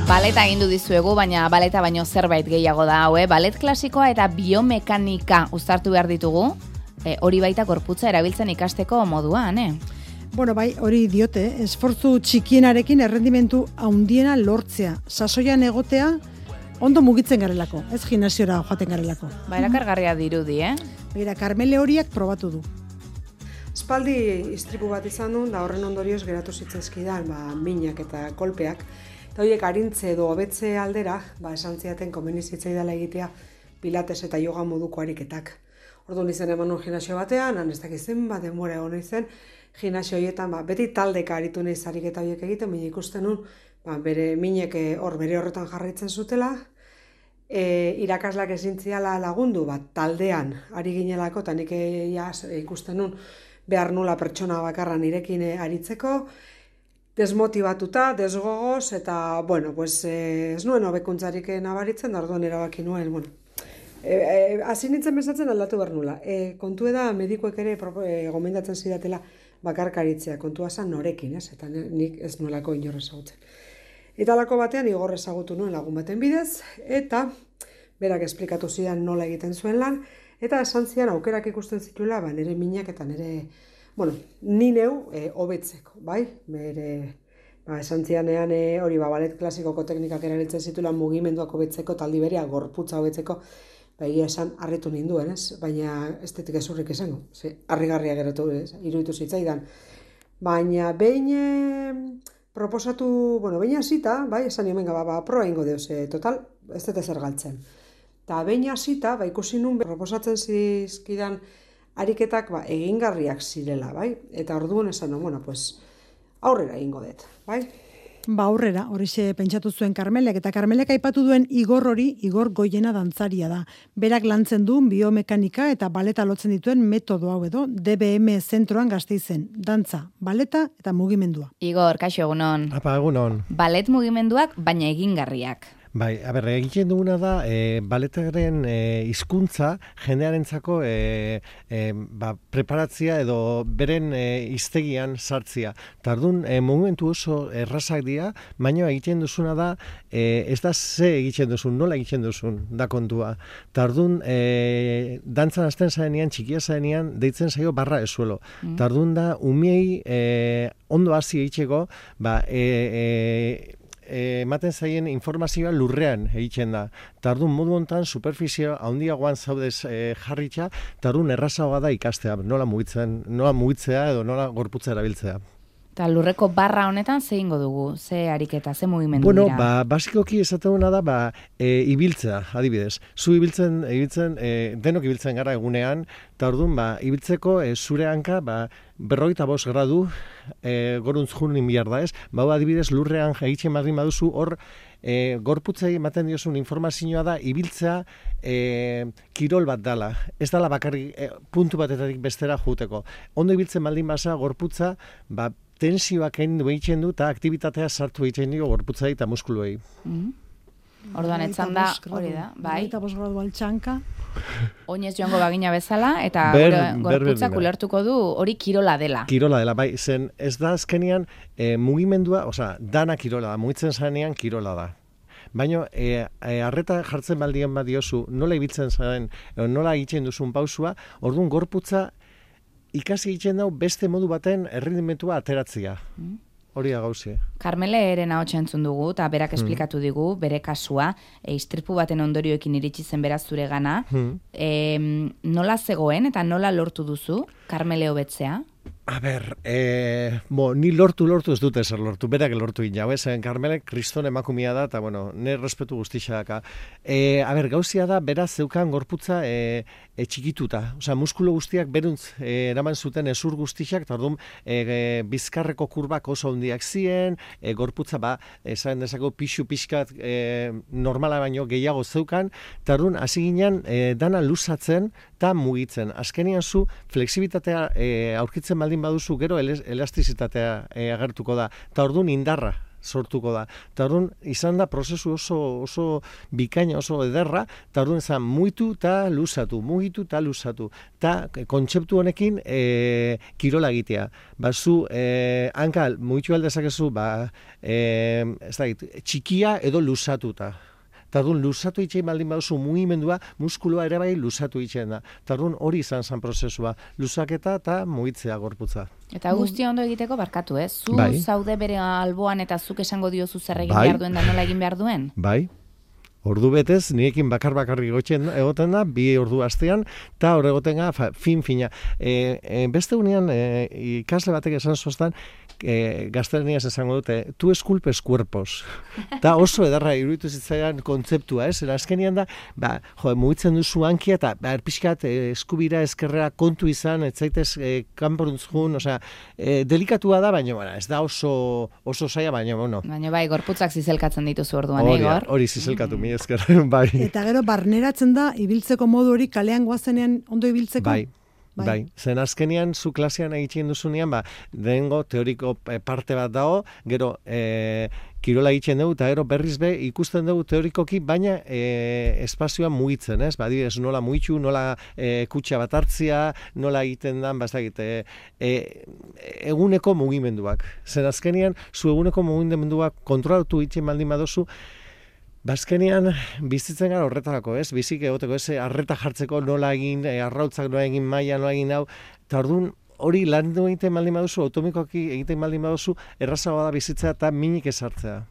Baleta egindu dizuegu, baina baleta baino zerbait gehiago da hau, Balet klasikoa eta biomekanika uztartu behar ditugu, hori baita gorputza erabiltzen ikasteko moduan, Bueno, bai, hori diote, esfortzu txikienarekin errendimentu handiena lortzea, sasoian egotea, ondo mugitzen garelako, ez gimnasiora joaten garelako. Erakargarria dirudi, Begira, Karmele horiak probatu du. Espaldi istripu bat izan duen, da horren ondorioz geratu zitzaizkidan, minak eta kolpeak. Eta horiek arintze edo hobetze aldera, esan ziaten komeni zitzaidala egitea pilates eta yoga moduko ariketak. Orduan izan eman un gimnasio batean, ez dakizen, denbora egon izen, gimnasio horietan, beti taldeka aritu nahiz ariketa horiek egiten, baina ikusten nun, bere minek bere horretan jarraitzen zutela, irakaslak ezin ziala lagundu, taldean ari ginelako, eta nik ikusten nun, behar nula pertsona bakarra nirekin aritzeko, desmotibatuta, desgogoz, eta, ez nuen hobekuntzarik nabaritzen, da orduan erabaki nuen, hasi nintzen bezatzen aldatu behar nula. Kontu da, medikuek ere gomendatzen zidatela bakarkaritzea, kontua zan norekin, eta nik ez nuelako inor ezagutzen. Eta lako batean igor ezagutu nuen lagun baten bidez, eta berak esplikatu zidan nola egiten zuen lan, eta esan zian aukerak ikusten zituela, nire minak eta nire, ni neu hobetzeko, bai? Esan zianean hori balet klasikoko teknikak erabiltzen zituela mugimenduak hobetzeko, taldi berea gorputza hobetzeko, egia esan harritu ninduen, ez? Baina estetik ezurrik izango, harrigarria geratu, iruditu zitzaidan. Baina behin proposatu, behin hasita, bai, esan niomen gaba, proa ingo deuz, total, ez dut ezer galtzen. Eta behin hasita, ikusi nun proposatzen zizkidan ariketak egingarriak zirela, bai? Eta orduan esan nun, aurrera egingo dut, bai? Aurrera, horixe pentsatu zuen Karmelek, eta Karmelek aipatu duen Igor hori, Igor Goiena dantzaria da. Berak lantzen du biomekanika eta baleta lotzen dituen metodo hau edo, DBM zentroan Gasteizen, dantza, baleta eta mugimendua. Igor, kaixo egunon. Apa, egunon. Balet mugimenduak, baina egingarriak. Bai, egiten duguna da, baletaren hizkuntza jendearentzako preparatzia edo beren hiztegian sartzia. Tardun, momentu oso errazak dira, baina egiten duzuna da, ez da ze egiten duzun, nola egiten duzun, da kontua. Tardun, dantzan hasten zarenean, txikia zarenean, deitzen zaio barra esuelo. Tardun da, umiei ondo hasi egiteko, ematen zaien informazioa lurrean egiten da. Tardun modu hontan superfizio handiagoan zaudez jarritza, tardun errazagoa da ikastea, nola mugitzea edo nola gorputza erabiltzea. Eta lurreko barra honetan ze ingo dugu, ze ariketa, ze mugimendu dira? Basikoki esateguna da, ibiltzea, adibidez. Zu ibiltzen, denok ibiltzen gara egunean, eta orduan, ibiltzeko zure hanka, 45 gradu, goruntz junin bihar da ez, adibidez, lurrean egiten madrin baduzu, hor, gorputzei ematen diozun informazioa da, ibiltzea kirol bat dala. Ez dala bakarrik puntu batetatik bestera juteko. Ondo ibiltzen baldin basa, gorputza, tensioak egiten du eta aktibitatea sartu egiten dio gorputzai eta muskuluei. Orduan etzan da, hori da, bai. 45 gradu altxanka. Oinez joango bagina bezala, eta gorputzak ulertuko du hori kirola dela. Kirola dela, bai, zen ez da azkenean mugimendua, dana kirola da, mugitzen zarenean kirola da. Baina, arreta jartzen baldien badiozu, nola ibiltzen zaren, nola egiten duzun pausua, orduan gorputza ikasi egiten dau beste modu baten errendimentua ateratzea. Hori da gauzie. Karmele eren ahotsa entzun dugu, eta berak esplikatu digu, bere kasua, istripu baten ondorioekin iritsi zen beraz zure gana. Nola zegoen eta nola lortu duzu Karmele hobetzea? Ni lortu ez dute zer lortu, berak lortu gina, Karmelek kriston emakumia da, eta, nire respetu guztixa daka. Gauzia da, beraz zeukan gorputza txikituta. Muskulu guztiak beruntz eraman zuten ezur guztixak, eta orduan bizkarreko kurbak oso handiak ziren, gorputza, esan dezako pixu-pixkat normala baino gehiago zeukan, eta orduan hasi ginen dana luzatzen eta mugitzen. Azkenean zu flexibilitatea aurkitzen baldin baduzu, gero elastizitatea agertuko da. Eta orduan indarra sortuko da. Eta orduan, izan da prozesu oso bikaina, oso ederra, eta orduan izan mugitu eta luzatu. Eta kontzeptu honekin kirola egitea. Zu hanka mugitu aldezakezu, ez da, txikia edo luzatuta. Tardun, luzatu itxein baldin baduzu mugimendua, muskuloa ere bai luzatu itxein da. Tardun, hori izan zen prozesua. Luzaketa eta mugitzea gorputza. Eta guztia ondo egiteko barkatu, eh? Zu zaude bere alboan eta zuk esango diozu zer egin behar duen da nola egin behar duen? Bai. Ordu betez, nirekin bakarrik egoten da, 2 ordu astean, eta hor egoten da, fin-fina. Beste unean, ikasle batek esan zoztan, gaztelaniaz esango dute, tu esculpes cuerpos. Eta oso edarra iruditu zitzaidan kontzeptua, ez? Azkenean da, mugitzen duzu hankia, eta erpixkat eskubira eskerrera kontu izan, ez zaitez kanporuntzun, delikatua da, baina ez da oso zaila, baina bueno. Baina bai, gorputzak zizelkatzen dituzu orduan, Igor? Hori zizelkatu, mi esker, bai. Eta gero, barneratzen da, ibiltzeko modu hori kalean goazenean ondo ibiltzeko? Bai. Zen azkenean, zu klasean egiten duzunean, dengo teoriko parte bat dago, gero kirola egiten dugu, eta gero berriz be ikusten dugu teorikoki, baina espazioa mugitzen, ez? Adibidez, nola mugitu, nola kutxa bat hartzia, nola egiten dan, eguneko mugimenduak. Zen azkenean, zu eguneko mugimenduak kontrolatu egiten baldin badozu, bazkenean bizitzen gara horretarako, ez? Bizik egoteko, ez? Arreta jartzeko nola egin, arrautzak nola egin, maila nola egin hau, eta orduan hori lan egiten baldin baduzu, automikoki egiten baldin baduzu, errazagoa da bizitzea eta minik ezartzea.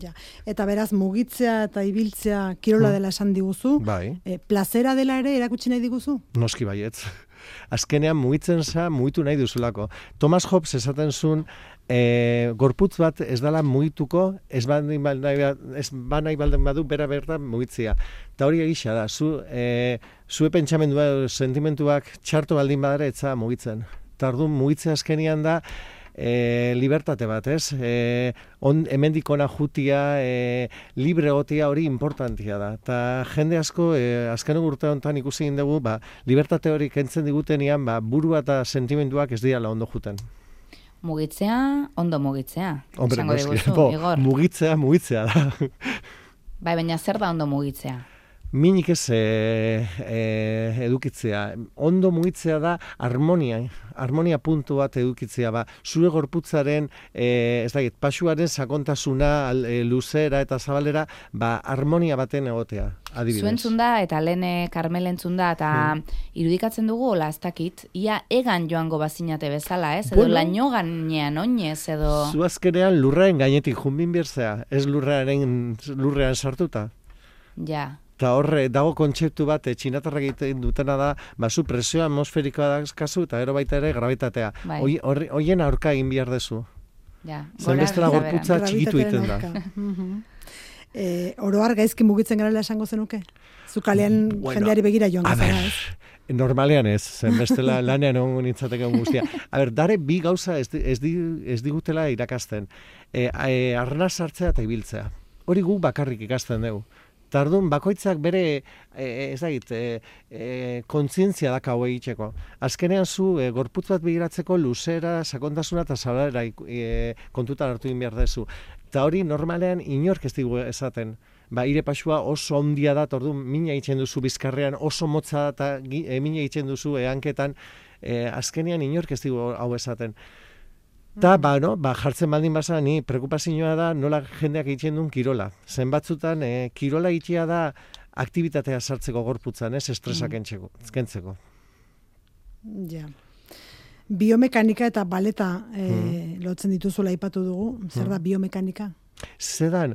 Ja. Eta beraz, mugitzea eta ibiltzea kirola dela esan diguzu. Bai. Plazera dela ere erakutsi nahi diguzu? Noski baietz. Azkenean mugitu nahi duzulako. Thomas Hobbes esaten zuen, gorputz bat ez dela mugituko, ez nahi baldin badu bera bertan mugitzea. Eta hori egisa da, zue pentsamendua, sentimentuak txarto baldin badara etza mugitzen. Eta orduan mugitzea azkenean da, libertate bat, ez? Hemendik ona jutia, libre egotia hori importantia da. Eta jende asko, azken urte honetan ikusi egin dugu, libertate hori kentzen digutenian, burua eta sentimenduak ez dira ondo juten. Mugitzea, ondo mugitzea. Hombre, mugitzea da. Bai, baina zer da ondo mugitzea? Minik ez edukitzea. Ondo mugitzea da harmonia puntu bat edukitzea. Zure gorputzaren, pasuaren sakontasuna, luzera eta zabalera, harmonia baten egotea, adibidez. Zuentzun da, eta lehen Karmel entzun da, eta irudikatzen dugu, ez dakit, ia egan joango bazinate bezala, ez? Edo laino gainean oinez, edo... Zu azkenean lurraren gainetik junbin berzea, ez lurrean sartuta. Ja. Eta horre, dago kontzeptu bat, txinatarra egiten dutena da, zu presio atmosferikoa da kasu, eta gero baita ere gravitatea. Horien aurka egin behar dezu. Ja, zen bestela gorputza txikitu egiten da. Oroar gaizki mugitzen garela esango zenuke? Zukalean jendeari begira joan gazara, ez? Normalean ez, zen bestela lanean ongo nintzateke guztia. Dare bi gauza ez digutela irakasten. Arnaz hartzea eta ibiltzea. Hori guk bakarrik ikasten dugu. Tardun, bakoitzak bere, kontzientzia daka hau egiteko. Azkenean zu, gorputz bat begiratzeko luzera, sakontasuna eta zabalera kontutan hartu egin behar dezu. Eta hori normalean inork ez digu esaten. Ire pasua oso ondia da, orduan mina egiten duzu bizkarrean, oso motza da, eta mina egiten duzu hanketan, azkenean inork ez digu hau esaten. Eta, jartzen baldin baza, ni preokupazioa da nola jendeak egiten duen kirola. Zen batzutan, kirola egitea da aktibitatea sartzeko gorputzan, ez estresak kentzeko. Ja. Biomekanika eta baleta lotzen dituzula aipatu dugu. Zer da biomekanika? Zedan,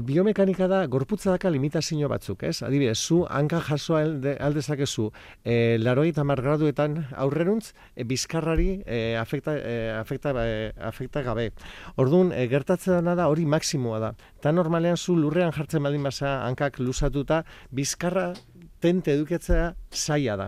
biomekanika da, gorputza daka limitazio batzuk, ez? Adibidez, zu hanka jaso aldezakezu 80 graduetan aurreruntz, bizkarrari afekta gabe. Orduan, gertatzen dena da hori maksimoa da. Eta normalean zu lurrean jartzen baldin baza hankak luzatuta, bizkarra tente eduketzea zaila da.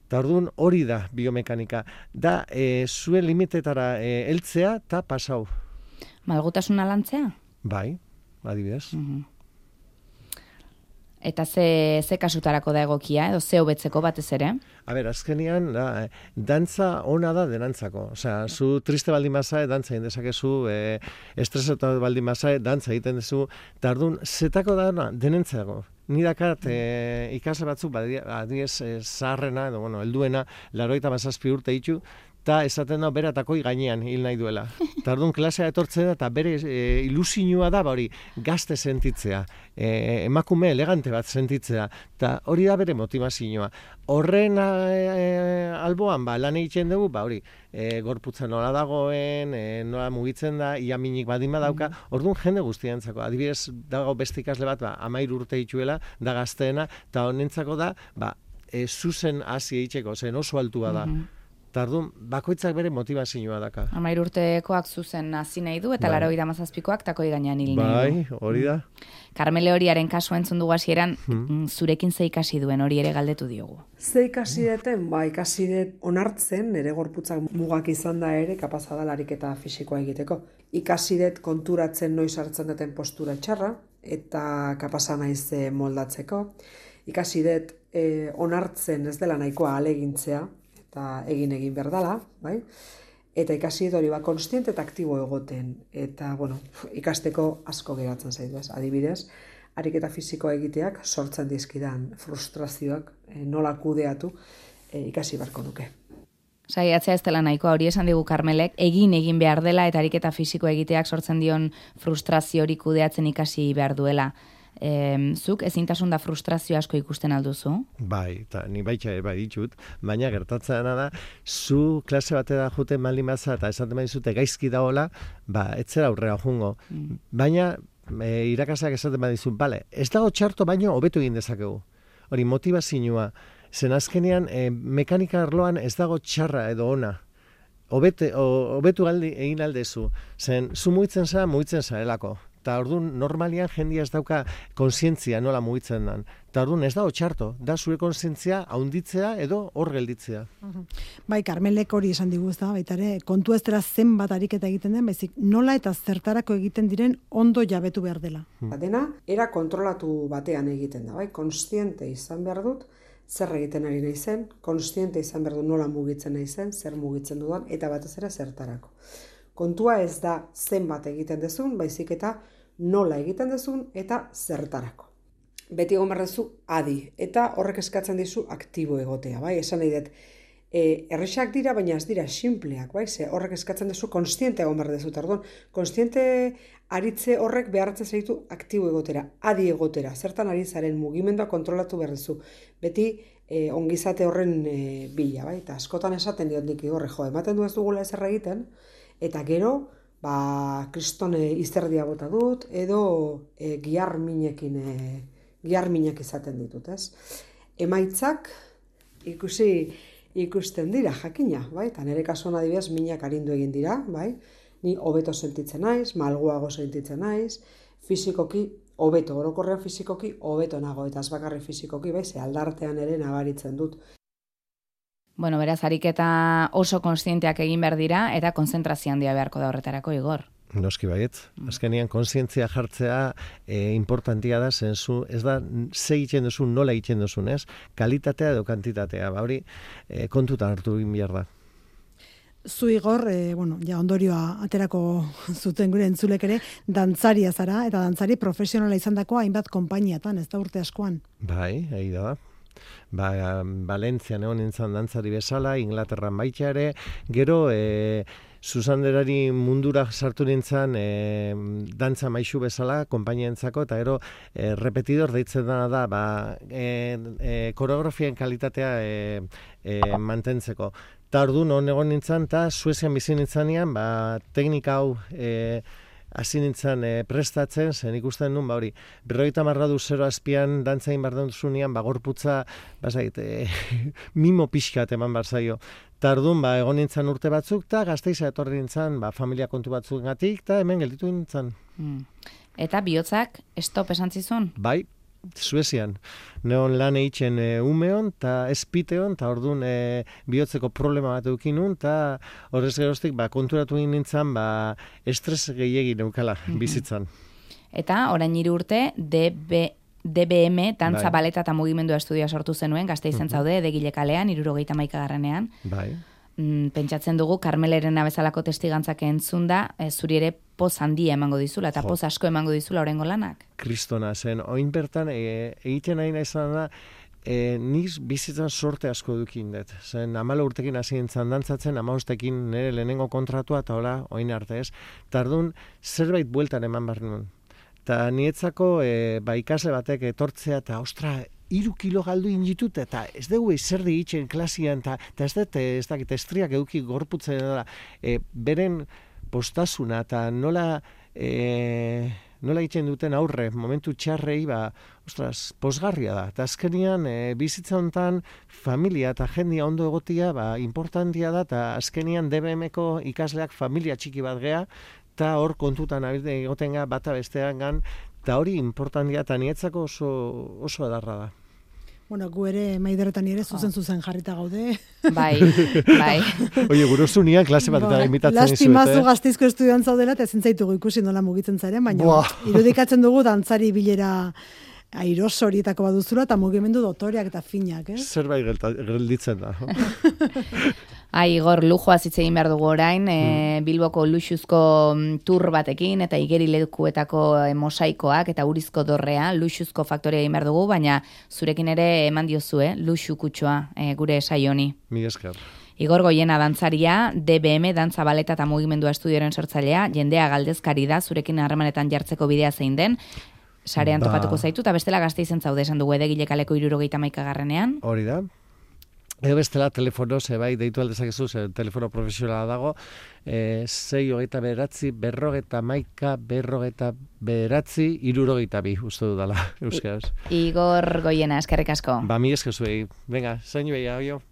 Eta orduan hori da biomekanika. Da, zuen limitetara heltzea eta pasau. Malgutasuna lantzea? Bai, adibidez. Eta ze kasutarako da egokia, edo ze hobetzeko batez ere? Azkenean, dantza ona da denantzako. Osea, zu triste baldin bazae, dantza egin dezakezu, estresatu baldin bazae, dantza egiten dezu, eta orduan, zetako da denentzako. Ni dakat ikasle batzuk, adiez, zaharrena, edo, helduena, 87 urte ditu, eta esaten da bera takoi gainean hil nahi duela. Eta orduan klasea etortzen da, eta bere ilusioa da, hori, gazte sentitzea, emakume elegante bat sentitzea, eta hori da bere motivazioa. Horren alboan, lan egiten dugu, hori, gorputza nola dagoen, nola mugitzen da, ia minik badin badauka, orduan jende guztientzako. Adibidez, dago beste ikasle bat, 13 urte dituela, da gazteena, eta honentzako da, zuzen hasi egiteko, zen oso altua da. Tardun, bakoitzak bere motivazioa daka. 13 urtekoak zuzen hasi nahi du, eta 87koak takoi gainean hil nahi du. Bai, hori da. Karmele horiaren kasu entzun dugu hasieran, zurekin ze ikasi duen hori ere galdetu diogu. Ze ikasi deten, ikasi dut onartzen, nire gorputzak mugak izan da ere, kapaza da lariketa fisikoa egiteko. Ikasi dut konturatzen noiz hartzen duten postura txarra, eta kapaza naiz moldatzeko. Ikasi dut onartzen ez dela nahikoa alegintzea, eta egin berdala, bai? Eta ikasi hori konstiente eta aktibo egoten. Eta, ikasteko asko geratzen zaitu, adibidez, ariketa fisikoa egiteak sortzen dizkidan frustrazioak nola kudeatu ikasi beharko nuke. Saiatzea ez dela nahikoa, hori esan digu Karmelek, egin behar dela eta ariketa fisikoa egiteak sortzen dion frustrazio hori kudeatzen ikasi behar duela. Zuk ezintasun da frustrazio asko ikusten alduzu? Bai, eta ni baita bai ditut, baina gertatzen da, zu klase batera juten baldin baza eta esaten badizute gaizki dagoela, etzera aurrera jungo. Baina irakasleak esaten badizu, ez dago txarto baino hobetu egin dezakegu. Hori motivazioa, zen azkenean mekanika arloan ez dago txarra edo ona. Hobetu egin aldezu, zen zu mugitzen zarelako. Eta orduan, normalian jendia ez dauka konsientzia nola mugitzen dan. Eta orduan, ez dago txarto, da zure konsientzia haunditzea edo hor gelditzea. Bai, Karmelek hori esan digu, ez da, baitare, kontu ez dela zenbat ariketa egiten den, baizik nola eta zertarako egiten diren ondo jabetu behar dela. Dena, era kontrolatu batean egiten da, bai, konstiente izan behar dut, zer egiten ari nahi zen, konstiente izan behar dut nola mugitzen nahi zen, zer mugitzen dudan, eta batez ere zertarako. Kontua ez da zenbat egiten dezun, baizik eta nola egiten dezun eta zertarako. Beti egon behar dezu adi, eta horrek eskatzen dizu aktibo egotea, bai? Esan nahi dut, errexak dira, baina ez dira simpleak, bai? Ze horrek eskatzen dezu konstiente egon behar dezu, tardun. Konstiente aritze horrek behartzen zaitu aktibo egotera, adi egotera, zertan ari zaren mugimendua kontrolatu behar dezu. Beti ongizate horren bila, bai? Eta askotan esaten diot nik horre, ematen du ez dugula ezer egiten, eta gero, kristone izterdia bota dut, edo gihar minak izaten ditut, ez? Emaitzak ikusten dira, jakina, bai? Eta nire kasuan adibidez minak arindu egin dira, bai? Ni hobeto sentitzen naiz, malguago sentitzen naiz, fisikoki hobeto, orokorrean fisikoki hobeto nago, eta ez bakarrik fisikoki, bai? Ze aldartean ere nabaritzen dut. Bueno, beraz, ariketa oso konstienteak egin behar dira, eta konzentrazio handia beharko da horretarako, Igor. Noski baiet. Azkenean kontzientzia jartzea importantia da, zenzu, ez da ze egiten duzu, nola egiten duzun, ez? Kalitatea edo kantitatea, hori kontutan hartu egin behar da. Zu Igor, ondorioa aterako zuten gure entzulek ere, dantzaria zara, eta dantzari profesionala izandako hainbat konpainiatan, ez da urte askoan. Bai, ahi da. Valentzian egon nintzen dantzari bezala, Inglaterran baita ere, gero Susanderari mundura sartu nintzen dantza maisu bezala, konpainientzako, eta gero repetidor deitzen dena da, koreografien kalitatea mantentzeko. Eta orduan hon egon nintzen, eta Suezian bizi nintzenean, teknika hau hasi nintzen prestatzen, zen ikusten nun, 50 gradu 0 azpian dantzain behar duzunean, gorputza, mimo pixkat eman behar zaio. Eta orduan, egon nintzen urte batzuk, eta Gasteiza etorri nintzen, familia kontu batzuk gatik, eta hemen gelditu nintzen. Eta bihotzak stop esan zizun? Bai, Suezian. Neon lan eitzen umeon, eta espiteon, eta orduan bihotzeko problema bat eukin nun, eta horrez geroztik konturatu nintzen, estres gehiegi neukala bizitzan. Eta orain 3 urte DBE DBM, dantza, baleta eta mugimendua estudioa sortu zenuen, Gasteizen zaude, Edegile kalean, 71. Bai. Pentsatzen dugu, Karmeleren abezalako testigantzak entzunda, zuri ere poz handia emango dizula, eta poz asko emango dizula orengo lanak. Kristona zen, oin bertan, egiten nahi izan da, niz bizitzan sorte asko dukin dut. Zen, 14 urtekin hasi nintzen dantzatzen, 15 nire lehenengo kontratua, eta hola, oin arte ez. Tardun, zerbait bueltan eman behar nuen. Eta nietzako, ikasle batek etortzea, eta ostra, 3 kilo galdu inditut, eta ez dugu izerdi itxen klasian, eta ez dakit, estriak eduki gorputzen da, beren postasuna, eta nola egiten duten aurre, momentu txarrei, ostras, posgarria da. Eta azkenian, bizitza hontan, familia eta jendia ondo egotia, importantia da, eta azkenian DBM-ko ikasleak familia txiki bat gea, eta hor kontutan egoten ga, bata bestean gan, eta hori importantia, eta nietzako oso edarra da. Bueno, gu ere, Maideretan ere, zuzen jarrita gaude. Bai. Oie, guruzu nian klase bat eta imitatzen izuet. Lastimazu Gasteizko estudioan zaudela, eta ezin zaitugu ikusi nola mugitzen zaren, baina irudikatzen dugu dantzari bilera airosorietako baduzula, eta mugimendu dotoreak eta finak, ez? Zerbait gelditzen da. Igor, lujoaz hitz egin behar dugu orain, Bilboko luxuzko tur batekin, eta igerilekuetako mosaikoak, eta urizko dorrea, luxuzko faktorea egin behar dugu, baina zurekin ere eman diozu, luxu kutsua gure saioni. Mi esker. Igor Goiena dantzaria, DBM, dantza, baleta eta mugimendua estudioren sortzailea, jendea galdezkari da, zurekin harremanetan jartzeko bidea zein den, sarean topatuko zaitu, eta bestela Gasteizen zaude esan dugu Edegile kaleko 71. Hori da. Edo bestela telefono, deitu aldezakezu, telefono profesionala dago, 629, 69, uste dudala, euskaraz. Igor Goiena, eskerrik asko. Mi eskezuei. Venga, zainu behia,